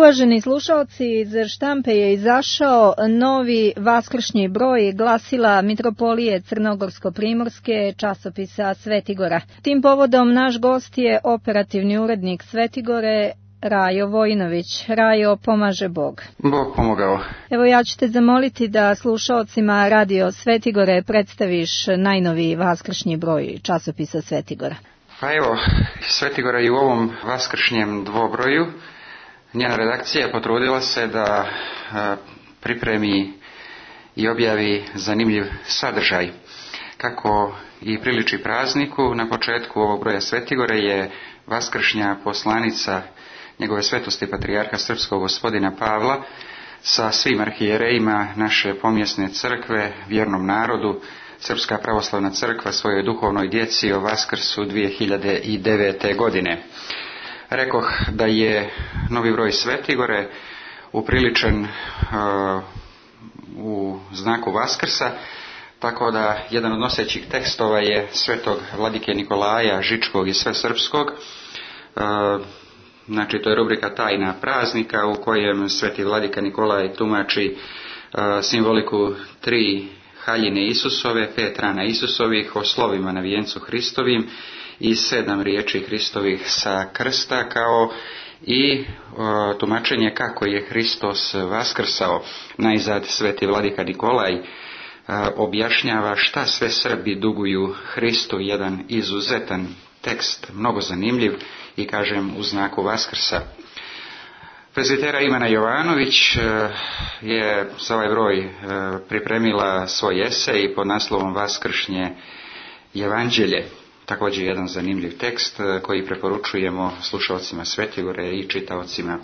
Uvaženi slušalci, iz štampe je izašao novi vaskršnji broj glasila Mitropolije Crnogorsko-primorske časopisa Svetigora. Tim povodom naš gost je operativni urednik Svetigore, Rajo Vojinović. Rajo, pomaže Bog. Bog pomogao. Evo, ja ću te zamoliti da slušalcima Radio Svetigore predstaviš najnoviji vaskršnji broj časopisa Svetigora. Pa evo, Svetigora i u ovom vaskršnjem dvobroju njena redakcija potrudila se da pripremi i objavi zanimljiv sadržaj. Kako i priliči prazniku, na početku ovog broja Svetigore je vaskršnja poslanica njegove svetosti patrijarha srpskog gospodina Pavla sa svim arhijerejima naše pomjesne crkve, vjernom narodu, Srpska pravoslavna crkva svojoj duhovnoj djeci o Vaskrsu 2009. godine. Rekoh da je novi broj Svetigore upriličen u znaku Vaskrsa, tako da jedan od nosećih tekstova je svetog vladike Nikolaja Žičkog i Svesrpskog. Znači, to je rubrika Tajna praznika u kojem sveti vladika Nikolaj tumači simboliku 3 haljine Isusove, 5 rana Isusovih, o slovima na vijencu Hristovim i 7 riječi Hristovih sa krsta, kao i tumačenje kako je Hristos vaskrsao. Najzad sveti vladika Nikolaj objašnjava šta sve Srbi duguju Hristu, jedan izuzetan tekst, mnogo zanimljiv i kažem u znaku Vaskrsa. Prezbitera Ivana Jovanović je za ovaj broj pripremila svoj esej pod naslovom Vaskršnje evanđelje. Također jedan zanimljiv tekst koji preporučujemo slušalcima Svetigore i čitaocima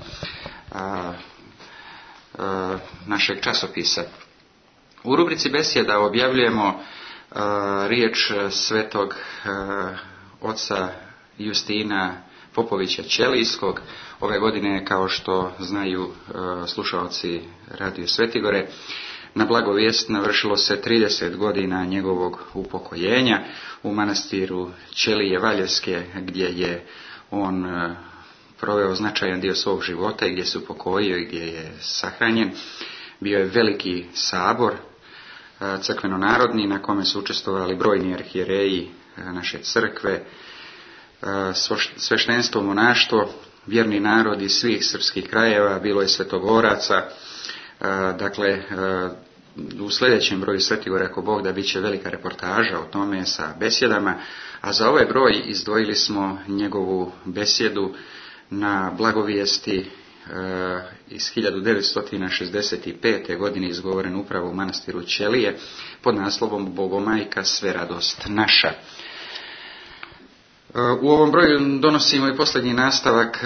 našeg časopisa. U rubrici besjeda objavljujemo riječ svetog oca Justina Popovića Ćelijskog. Ove godine, kao što znaju slušalci Radio Svetigore, na blagovijest navršilo se 30 godina njegovog upokojenja u manastiru Ćelije Valjevske, gdje je on proveo značajan dio svog života i gdje se upokojio i gdje je sahranjen. Bio je veliki sabor crkveno-narodni na kome su učestvovali brojni arhijereji naše crkve, sveštenstvo, monaštvo, vjerni narod iz svih srpskih krajeva, bilo je svetogoraca. Dakle, u sljedećem broju Svetigora, ako Bog da, bit će velika reportaža o tome sa besjedama, a za ovaj broj izdvojili smo njegovu besjedu na blagovijesti iz 1965. godine, izgovoren upravo u manastiru Ćelije pod naslovom Bogomajka sve radost naša. U ovom broju donosimo i posljednji nastavak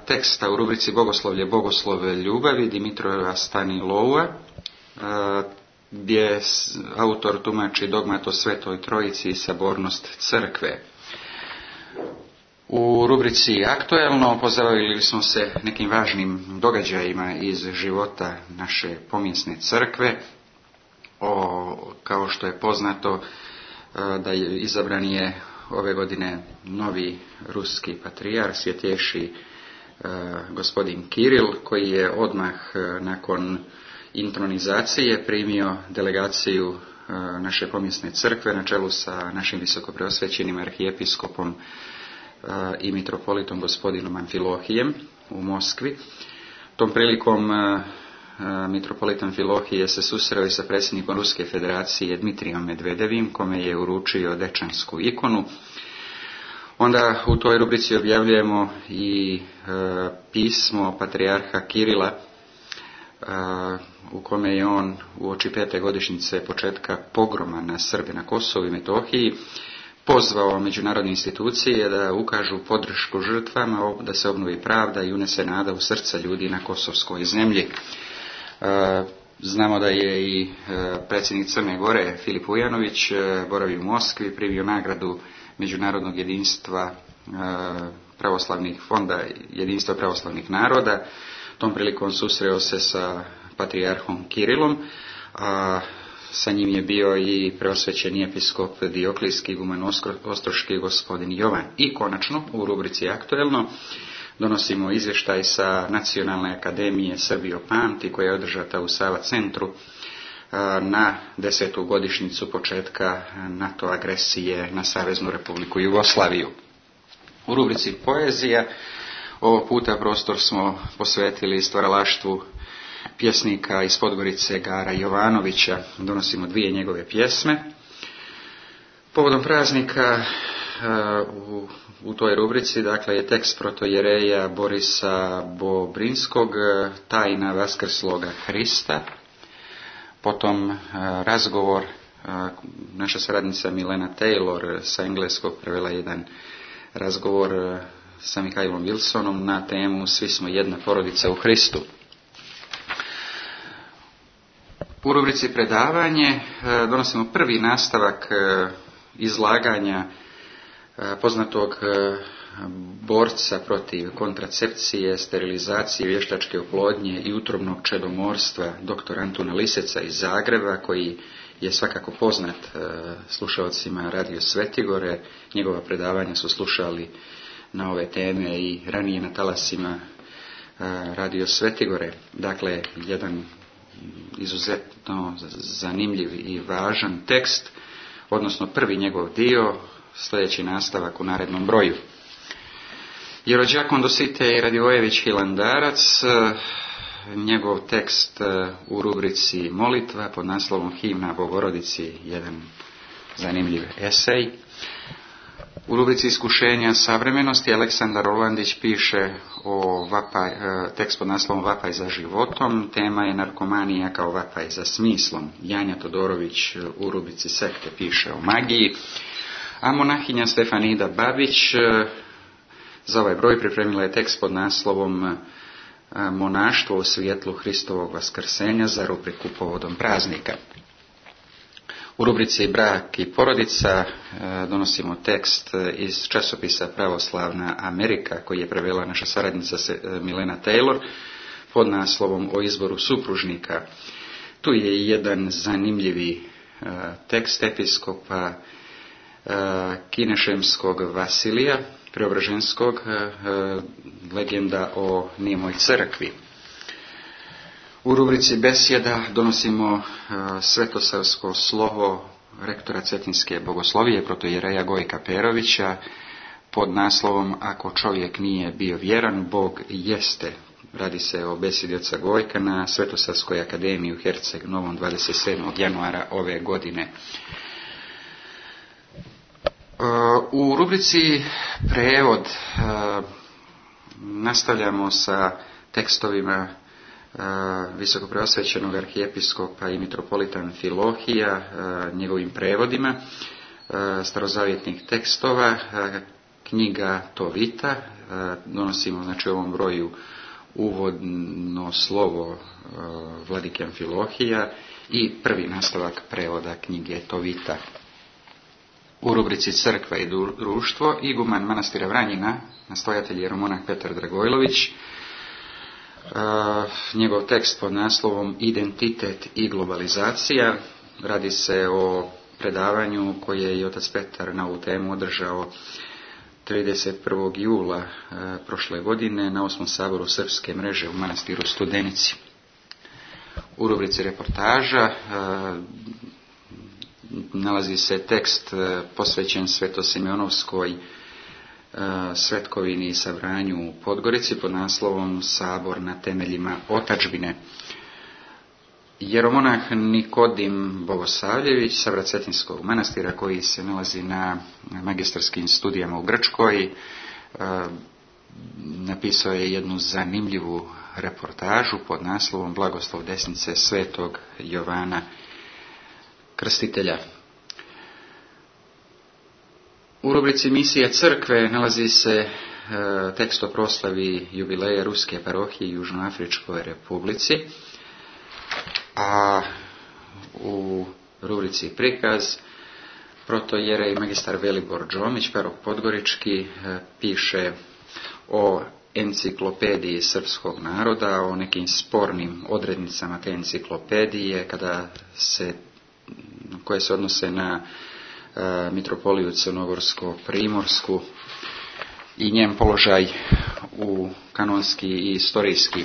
teksta u rubrici Bogoslovlje, Bogoslove ljubavi Dimitrova Staniloua, gdje autor tumači dogmat o Svetoj Trojici i sabornost crkve. U rubrici Aktuelno pozabavili smo se nekim važnim događajima iz života naše pomjesne crkve. Kao što je poznato, da je izabran je ove godine novi ruski patrijarh, svjetješi gospodin Kiril, koji je odmah nakon intronizacije primio delegaciju naše pomjesne crkve na čelu sa našim visokopreosvećenim arhijepiskopom i mitropolitom gospodinom Amfilohijem u Moskvi. Tom prilikom mitropolit Amfilohije se susreo i sa predsjednikom Ruske federacije Dmitrijom Medvedevim, kome je uručio dečansku ikonu. Onda u toj rubrici objavljujemo i pismo patrijarha Kirila, u kome je on uoči 5. godišnjice početka pogroma na Srbe na Kosovu i Metohiji pozvao međunarodne institucije da ukažu podršku žrtvama, da se obnovi pravda i unese nada u srca ljudi na kosovskoj zemlji. Znamo da je i predsjednik Crne Gore Filip Ujanović boravi u Moskvi, primio nagradu Međunarodnog jedinstva pravoslavnih fonda, jedinstva pravoslavnih naroda. Tom prilikom susreo se sa patrijarhom Kirilom, a sa njim je bio i preosvećeni episkop Dioklijski igumen Ostroški gospodin Jovan. I konačno, u rubrici Aktuelno, donosimo izvještaj sa Nacionalne akademije Srbijo pamti, koja je održata u Sava centru na 10. godišnjicu početka NATO agresije na Saveznu Republiku Jugoslaviju. U rubrici Poezija ovog puta prostor smo posvetili stvaralaštvu pjesnika iz Podgorice Gara Jovanovića. Donosimo 2 njegove pjesme. Povodom praznika u toj rubrici, dakle, je tekst protojereja Borisa Bobrinskog, Tajna vaskrsloga Hrista. Potom razgovor, naša saradnica Milena Taylor sa engleskog prevela jedan razgovor sa Mihajlom Wilsonom na temu Svi smo jedna porodica u Hristu. U rubrici predavanje donosimo prvi nastavak izlaganja poznatog borca protiv kontracepcije, sterilizacije, vještačke oplodnje i utrobnog čedomorstva dr. Antuna Liseca iz Zagreba, koji je svakako poznat slušalcima Radio Svetigore. Njegova predavanja su slušali na ove teme i ranije na talasima Radio Svetigore. Dakle, jedan izuzetno zanimljiv i važan tekst, odnosno prvi njegov dio, sljedeći nastavak u narednom broju. Jerođakon Dositej Radivojević Hilandarac, njegov tekst u rubrici Molitva pod naslovom Himna Bogorodici, jedan zanimljiv esej. U rubrici Iskušenja savremenosti Aleksandar Rolandić piše o tekst pod naslovom Vapaj za životom. Tema je narkomanija kao vapaj za smislom. Janja Todorović u rubrici Sekte piše o magiji. A monahinja Stefanida Babić za ovaj broj pripremila je tekst pod naslovom Monaštvo u svjetlu Hristovog vaskrsenja za rubriku povodom praznika. U rubrici Brak i porodica donosimo tekst iz časopisa Pravoslavna Amerika, koji je prevela naša saradnica Milena Taylor pod naslovom O izboru supružnika. Tu je jedan zanimljivi tekst episkopa Kinešemskog Vasilija Preobraženskog, legenda o Nijemoj crkvi. U rubrici Besjeda donosimo svetosavsko slovo rektora Cetinske bogoslovije protojereja Gojka Perovića pod naslovom Ako čovjek nije bio vjeran, Bog jeste. Radi se o besjedi oca Gojka na Svetosavskoj akademiji u Herceg Novom 27. januara ove godine. U rubrici Prevod nastavljamo sa tekstovima visokopreosvećenog arhijepiskopa i mitropolita Amfilohija, njegovim prevodima starozavjetnih tekstova, knjiga Tovita. Donosimo, znači, u ovom broju uvodno slovo vladike Amfilohija i prvi nastavak prevoda knjige Tovita. U rubrici Crkva i društvo, iguman manastira Vranjina, nastojatelj jeromonah Petar Dragojlović, njegov tekst pod naslovom Identitet i globalizacija. Radi se o predavanju koje je otac Petar na ovu temu održao 31. jula prošle godine na 8. saboru Srpske mreže u manastiru Studenici. U rubrici reportaža nalazi se tekst posvećen Svetosimeonovskoj svetkovini i sabranju u Podgorici pod naslovom Sabor na temeljima otadžbine. Jeromonah Nikodim Bogosavljević, savrat Cetinskog manastira, koji se nalazi na magistarskim studijama u Grčkoj, napisao je jednu zanimljivu reportažu pod naslovom Blagoslov desnice svetog Jovana Krstitelja. U rubrici Misija crkve nalazi se tekst o proslavi jubileja Ruske parohije u Južnoafričkoj republici, a u rubrici Prikaz protojerej magistar Velibor Džomić, parok Podgorički, piše o enciklopediji srpskog naroda, o nekim spornim odrednicama te enciklopedije koje se odnose na mitropoliju Crnogorsko-Primorsku i njen položaj u kanonski i istorijski.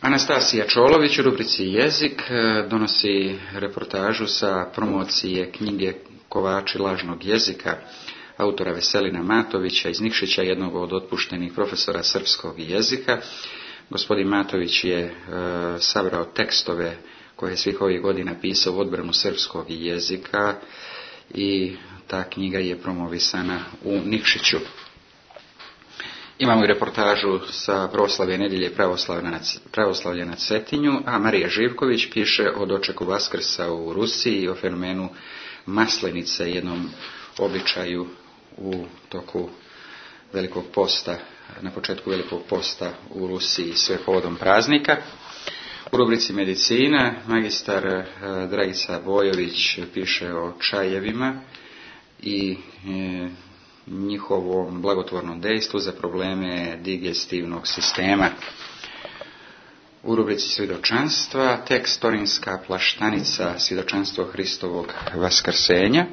Anastasija Čolović u rubrici Jezik donosi reportažu sa promocije knjige Kovači lažnog jezika autora Veselina Matovića iz Nikšića, jednog od otpuštenih profesora srpskog jezika. Gospodin Matović je sabrao tekstove koje je svih ovih godina pisao u odbranu srpskog jezika i ta knjiga je promovisana u Nikšiću. Imamo i reportažu sa proslave nedjelje pravoslavlja na Cetinju, a Marija Živković piše o dočeku Vaskrsa u Rusiji i o fenomenu Maslenice, jednom običaju u toku Velikog posta, na početku Velikog posta u Rusiji, sve povodom praznika. U rubrici Medicina magistar Dragica Bojović piše o čajevima i njihovom blagotvornom dejstvu za probleme digestivnog sistema. U rubrici svjedočanstva tekst Torinska plaštanica, svjedočanstvo Hristovog vaskrsenja.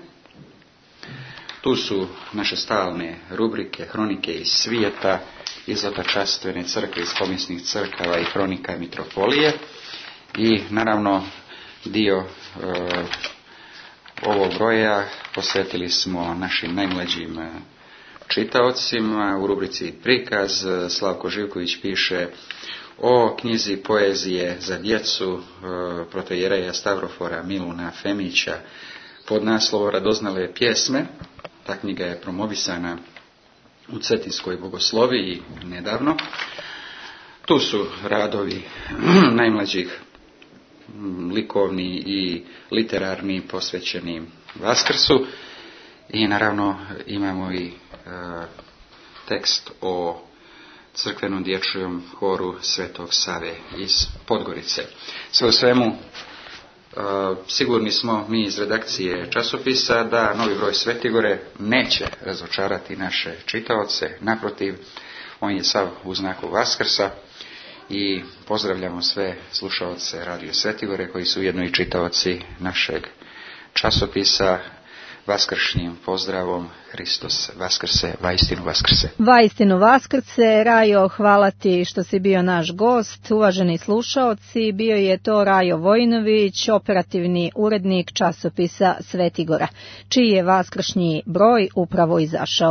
Tu su naše stalne rubrike, hronike iz svijeta, izvatačastvene crkve iz pomisnih crkava i hronika mitropolije. I naravno dio ovog broja posvetili smo našim najmlađim čitaocima. U rubrici Prikaz Slavko Živković piše o knjizi poezije za djecu protojereja Stavrofora Miluna Femića pod naslovom Radoznale pjesme. Ta knjiga je promovisana u Cetinskoj bogosloviji nedavno. Tu su radovi najmlađih likovni i literarni posvećeni Vaskrsu i naravno imamo i tekst o crkvenom dječjem horu Svetog Save iz Podgorice. Sve u svemu, sigurni smo mi iz redakcije časopisa da novi broj Svetigore neće razočarati naše čitaoce, naprotiv, on je sav u znaku Vaskrsa i pozdravljamo sve slušaoce Radio Svetigore koji su ujedno i čitaoci našeg časopisa vaskršnjim pozdravom Hristos Vaskrse, vaistinu Vaskrse. Vaistinu Vaskrse, Rajo, hvala ti što si bio naš gost, uvaženi slušaoci, bio je to Rajo Vojinović, operativni urednik časopisa Svetigora, čiji je vaskršnji broj upravo izašao.